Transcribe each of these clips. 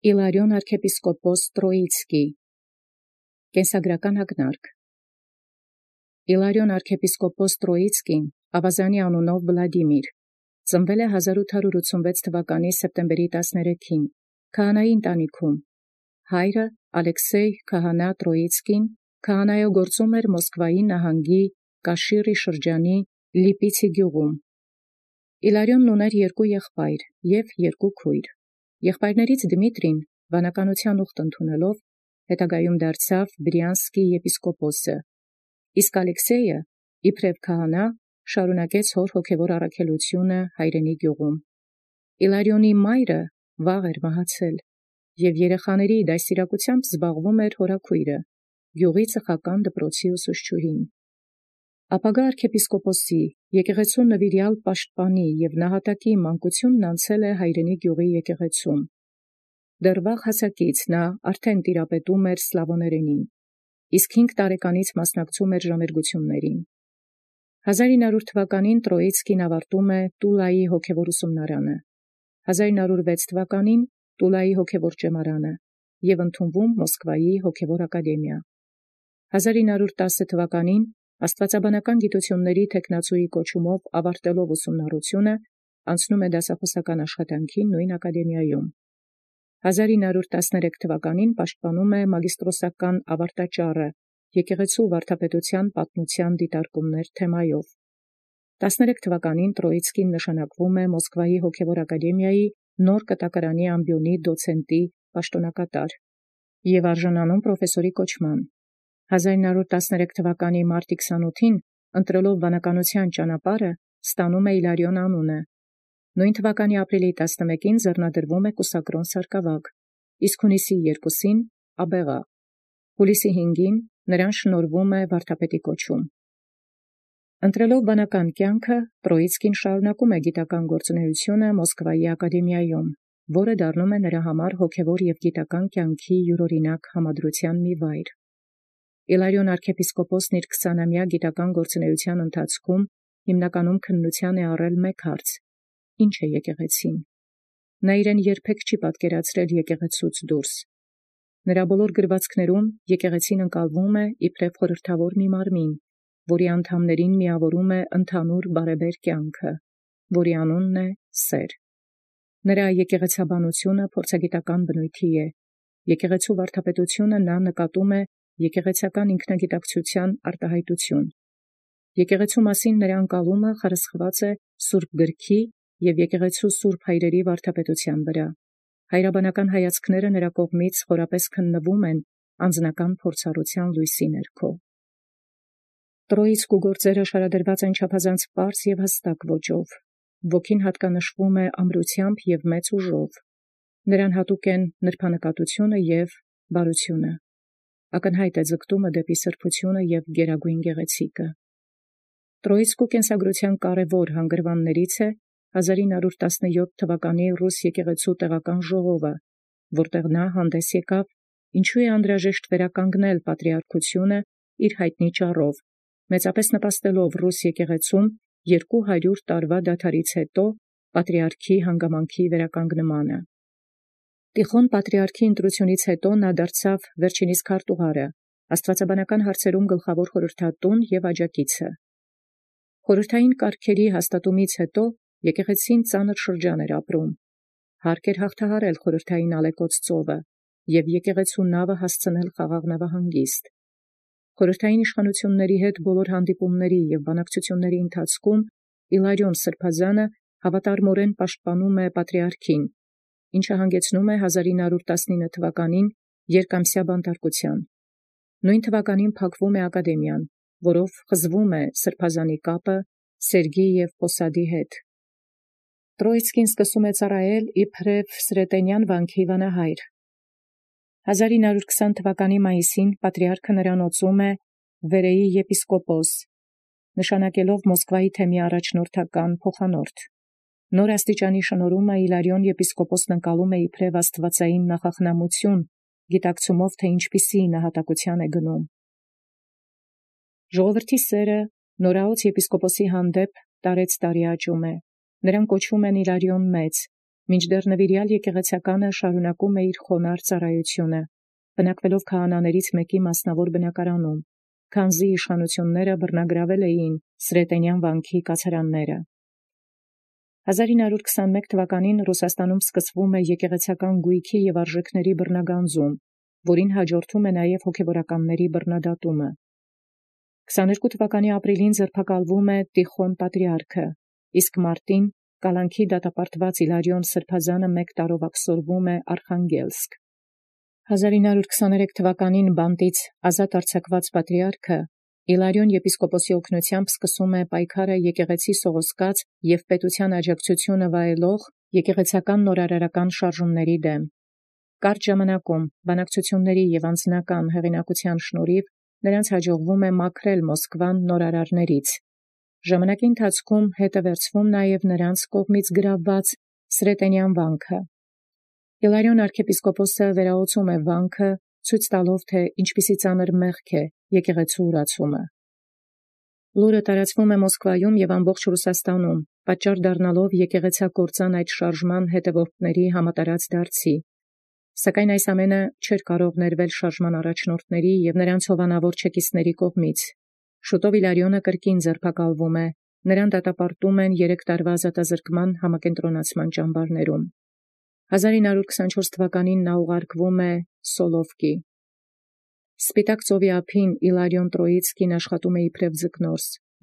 Իլարիոն arczepiskopos Տրոիցկի Կենսագրական ակնարկ Իլարիոն arczepiskopos Տրոիցկին Ավազանի անունով Վլադիմիր ծնվել է 1886 թվականի սեպտեմբերի 13-ին քահանայի ընտանիքում հայրը Ալեքսեյ քահանա Տրոիցկին քահանայագործում էր Մոսկվայի նահանգի Կաշիրի շրջանի Լիպիցի գյուղում Իլարիոնն ուներ երկու եղբայր և երկու քույր Եղբայրներից Դմիտրին վանականության ուխտ ընդունելով հետագայում դարձավ Բրյանսկի եպիսկոպոսը, իսկ Ալեքսեյը իբրև քահանա շարունակեց հոր հոգևոր առաքելությունը հայրենի գյուղում։ Իլարիոնի մայրը վաղ էր մահացել, և երեխաների դաստիարակությամբ զբաղվում էր հորաքույրը, գյուղի ծխական դպրոցի ուսուցչուհին։ Ապագա arczepiskopոսի եկեղեցու նվիրյալ պաշտպանի և նահատակի մանկությունն անցել է հայրենի գյուղի եկեղեցում։ Դեռ վաղ հասակից նա արդեն տիրապետում էր սլավոներենին, իսկ 5 տարեկանից մասնակցում էր ժամերգություններին։ 1900 թվականին Տրոիցկին ավարտում է Տուլայի հոգևոր ուսումնարանը, 1906 թվականին Տուլայի հոգևոր ճեմարանը և ընդունվում Մոսկվայի հոգևոր ակադեմիա։ 1910 թվականին աստվածաբանական գիտությունների թեկնածուի կոչումով ավարտելով ուսումնառությունը անցնում է դասախոսական աշխատանքի նույն ակադեմիայում։ 1913 թվականին պաշտպանում է մագիստրոսական ավարտաճառը եկեղեցու վարդապետության պատմության դիտարկումներ թեմայով։ 13 թվականին Տրոիցկին նշանակվում է Մոսկվայի հոգևոր ակադեմիայի նոր կտակարանի ամբիոնի դոցենտի պաշտոնակատար և արժանանում պրոֆեսորի կոչման։ 1913 թվականի մարտի 28-ին ընտրելով վանականության ճանապարհը ստանում է Իլարիոն անունը։ Նույն թվականի ապրիլի 11-ին ձեռնադրվում է կուսակրոն սարկավագ, իսկ հունիսի 2-ին աբեղա։ Հուլիսի 5-ին նրան շնորհվում է վարդապետի կոչում։ Ընտրելով վանական կյանքը, Տրոիցկին շարունակում է գիտական գործունեությունը Մոսկվայի ակադեմիայում, որը դառնում է նրա համար հոգևոր և գիտական կյանքի յուրօրինակ համադրության մի վայր։ Իլարիոն arczepiskopոսն իր 20-ամյա գիտական գործունեության ընթացքում հիմնականում քննության է առել մեկ հարց. ի՞նչ է եկեղեցին։ Նա իրեն երբեք չի պատկերացրել եկեղեցուց դուրս։ Նրա բոլոր գրվածքներում եկեղեցին ընկալվում է իբրև խորհրդավոր մի մարմին, որի անդամներին միավորում է ընդհանուր բարեբեր կյանքը, որի անունն է սեր։ Նրա եկեղեցաբանությունը փորձագիտական բնույթի է։ Եկեղեցու վարդապետությունը նա նկատում է եկեղեցական ինքնագիտակցության արտահայտություն։ Եկեղեցու մասին նրա ընկալումը խրսխված է Սուրբ Գրքի և եկեղեցու սուրբ հայրերի վարդապետության վրա։ Հայրաբանական հայացքները նրա կողմից խորապես քննվում են անձնական փորձառության լույսի ներքո։ Տրոիցկու գործերը շարադրված են չափազանց պարզ և հստակ ոճով։ Ոգին հատկանշվում է ամրությամբ և մեծ ուժով։ Նրան հատուկ են նրբանկատությունը և բարությունը։ Ակնհայտ է ձգտումը դեպի սրբությունը և գերագույն գեղեցիկը։ Տրոիցկու կենսագրության կարևոր հանգրվաններից է 1917 թվականի ռուս եկեղեցու տեղական ժողովը, որտեղ նա հանդես եկավ ինչու է անհրաժեշտ վերականգնել պատրիարքությունը իր հայտնի ճառով, մեծապես նպաստելով ռուս եկեղեցում 200 տարվա դադարից հետո պատրիարքի հանգամանքի վերականգնմանը։ Տիխոն պատրիարքի ընտրությունից հետո նա դարձավ վերջինիս քարտուղարը, աստվածաբանական հարցերում գլխավոր խորհրդատուն և աջակիցը։ Խորհրդային կարգերի հաստատումից հետո եկեղեցին ծանր շրջան էր ապրում։ Հարկ էր հաղթահարել խորհրդային ալեկոծ ծովը և եկեղեցու նավը հասցնել խաղաղ նավահանգիստ։ Խորհրդային իշխանությունների հետ բոլոր հանդիպումների և բանակցությունների ընթացքում Իլարիոն սրբազանը հավատարմորեն պաշտպանում է պատրիարքին, ինչը հանգեցնում է 1919 թվականին երկամսյա բանտարկության։ Նույն թվականին փակվում է ակադեմիան, որով խզվում է սրբազանի կապը Սերգի և Պոսադի հետ։ Տրոիցկին սկսում է ծառայել իբրև Սրետենյան վանքի վանահայր։ 1920 թվականի մայիսին պատրիարքը նրան օծում է Վերեի եպիսկոպոս, նշանակելով Մոսկվայի թեմի առաջնորդական փոխանորդ։ Նոր աստիճանի շնորհումը Իլարիոն եպիսկոպոսն ընկալում է իբրև աստվածային նախախնամություն, գիտակցումով, թե ինչպիսի նահատակության է գնում։ Ժողովրդի սերը նորաոց եպիսկոպոսի հանդեպ տարեցտարի աճում է։ Նրան կոչում են Իլարիոն Մեծ Մինչդեռ նվիրյալ եկեղեցականը շարունակում է իր խոնարհ ծառայությունը, բնակվելով քահանաներից մեկի մասնավոր բնակարանում, քանզի իշխանությունները բռնագրավել էին Սրետենյան վանքի կացարանները։ 1921 թվականին Ռուսաստանում սկսվում է եկեղեցական գույքի և արժեքների բռնագանձում, որին հաջորդում է նաև հոգևորականների բռնադատումը։ 22 թվականի ապրիլին ձերբակալվում է Տիխոն պատրիարքը, իսկ մարտին կալանքի դատապարտված Իլարիոն Սրբազանը 1 տարով աքսորվում է Արխանգելսկ։ 1923 թվականին բանտից ազատ արձակված պատրիարքը Իլարիոն եպիսկոպոսի օգնությամբ սկսում է պայքարը եկեղեցի սողոսկած և պետության աջակցությունը վայելող եկեղեցական նորարարական շարժումների դեմ։ Կարճ ժամանակում բանակցությունների և անձնական հեղինակության շնորհիվ նրանց հաջողվում է մաքրել Մոսկվան նորարարներից։ Ժամանակի ընթացքում հետ է վերցվում նաև նրանց կողմից գրավված Սրետենյան վանքը։ Իլարիոն arczepiskopos-ը վերահոսում է վանքը, ցույց տալով, թե ինչպիսի ծանր մեղք է եկեղեցու ուրացումը։ Լուրը տարածվում է Մոսկվայում և ամբողջ Ռուսաստանում, պատճառ դառնալով եկեղեցակործան այդ շարժման հետևորդների համատարած դարձի։ Սակայն այս ամենը չէր կարող ներվել շարժման առաջնորդների և նրանց հովանավոր չեկիստների կողմից։ Շուտով Իլարիոնը կրկին ձերբակալվում է, նրան դատապարտում են 3 տարվա ազատազրկման համակենտրոնացման ճամբարներում։ 1924 թվականին նա ուղարկվում է Սոլովկի։ Սպիտակ ծովի ափին Իլարիոն Տրոիցկին աշխատում է իբրև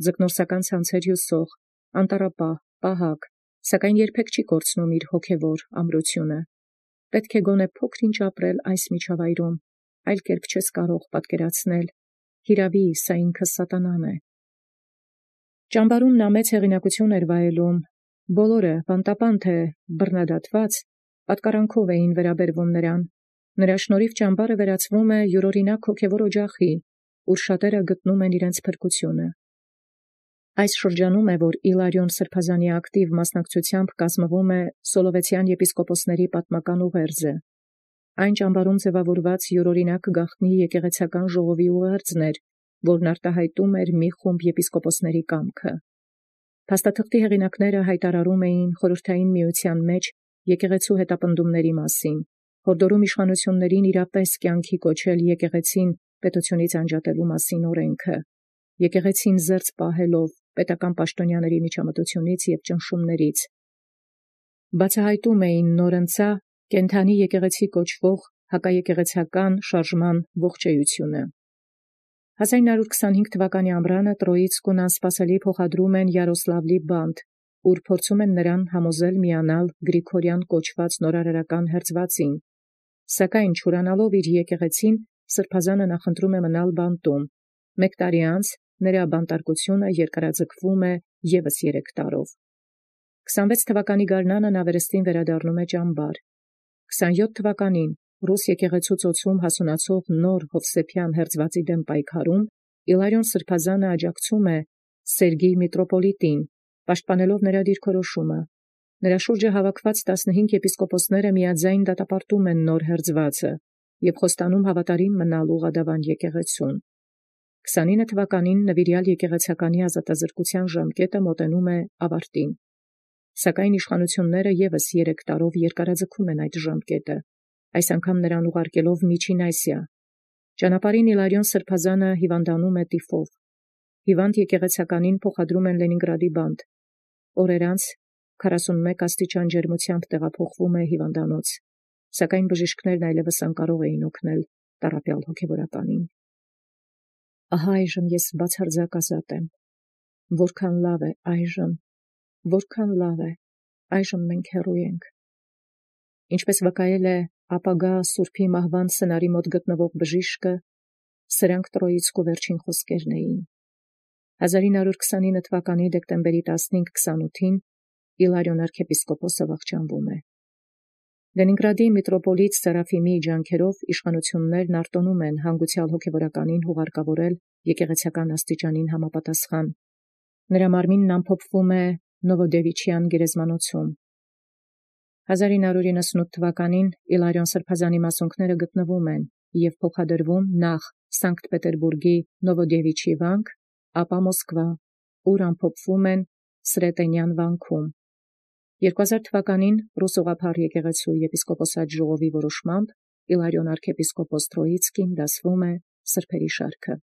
ձկնորսական ցանցեր հյուսող, անտառապահ, պահակ, սակայն երբեք չի կորցնում իր հոգևոր ամրությունը։ Պետք է գոնե փոքր-ինչ ապրել այս միջավայրում, այլ կերպ չես կարող պատկերացնել, հիրավի, սա ինքը սատանան է։ Ճամբարում նա մեծ հեղինակություն էր վայելում, բոլորը, բանտապան թե բռնադատված, պատկարանքով էին վերաբերվում նրան։ Նրա շնորհիվ ճամբարը վերածվում է յուրօրինակ հոգևոր օջախի, ուր շատերը գտնում են իրենց փրկությունը։ Այս շրջանում է, որ Իլարիոն Սրբազանի ակտիվ մասնակցությամբ կազմվում է Սոլովեցյան եպիսկոպոսների պատմական ուղերձը։ Այն ճամբարում ձևավորված յուրօրինակ գաղտնի եկեղեցական ժողովի ուղերձն էր, որն արտահայտում էր մի խումբ եպիսկոպոսների կամքը։ Փաստաթղթի հեղինակները հայտարարում էին խորհրդային միության մեջ եկեղեցու հետապնդումների մասին, հորդորում իշխանություններին իրապես կյանքի կոչել եկեղեցին պետությունից անջատելու մասին օրենքը, եկեղեցին զերծ պահելով պետական պաշտոնյաների միջամտությունից և ճնշումներից։ Բացահայտում էին նորընծա կենդանի եկեղեցի կոչվող հակաեկեղեցական շարժման ողջեյությունը։ 1925 թվականի ամռանը Տրոիցկուն անսպասելի փոխադրում են Յարոսլավլի բանտ, ուր փորձում են նրան համոզել միանալ Գրիգորյան կոչված նորարարական հերձվածին։ Սակայն չուրանալով իր եկեղեցին, Սրբազանը նախընտրում է մնալ բանտում։ 1 տարի անց նրա բանտարկությունը երկարաձգվում է ևս 3 տարով։ 26 թվականի գարնանը նա վերստին վերադառնում է ճամբար։ 27 թվականին ռուս եկեղեցու ծոցում հասունացող նոր Հովսեփյան հերձվածի դեմ պայքարում Իլարիոն Սրբազանը աջակցում է Սերգեյ միտրոպոլիտին, պաշտպանելով նրա դիրքորոշումը։ Նրա շուրջը հավաքված 15 եպիսկոպոսները միաձայն դատապարտում են նոր հերձվածը և խոստանում հավատարիմ մնալ ուղղադավան եկեղեցուն։ 29 թվականին նվիրյալ եկեղեցականի ազատազրկության ժամկետը մոտենում է ավարտին։ Սակայն իշխանությունները ևս 3 տարով երկարաձգում են այդ ժամկետը, այս անգամ նրան ուղարկելով Միջին Ասիա։ Ճանապարհին Իլարիոն Սրբազանը հիվանդանում է տիֆով։ Հիվանդ եկեղեցականին փոխադրում են Լենինգրադի բանտ։ Օրեր անց 41 աստիճան ջերմությամբ տեղափոխվում է հիվանդանոց, սակայն բժիշկներն այլևս անկարող էին օգնել տառապյալ հոգևորականին։ Ահա այժմ ես բացարձակ ազատ եմ։ Որքան լավ է այժմ, որքան լավ է, այժմ մենք հեռու ենք։ Ինչպես վկայել է ապագա Սուրբի մահվան սենարի մոտ գտնվող բժիշկը, սրանք Տրոիցկու վերջին խոսքերն էին։ 1929 թվականի դեկտեմբերի 15-28-ին Իլարիոն arczepiskopos-ը վախճանվում է։ Լենինգրադի միտրոպոլիտ Սերաֆիմի ջանքերով իշխանություններն արտոնում են հանգուցյալ հոգևորականին հուղարկավորել եկեղեցական աստիճանին համապատասխան։ Նրա մարմինն ամփոփվում է Նովոդևիչյան գերեզմանոցում։ 1998 թվականին Իլարիոն Սրբազանի մասունքները գտնվում են և փոխադրվում նախ Սանկտ Պետերբուրգի Նովոդևիչի վանք, ապա Մոսկվա, ուր ամփոփվում են Սրետենյան վանքում։ 2000 թվականին Ռուս ուղղափառ եկեղեցու եպիսկոպոսաց ժողովի որոշմամբ Իլարիոն arczepiskopos Troitskին դասվում է սրբերի շարքը։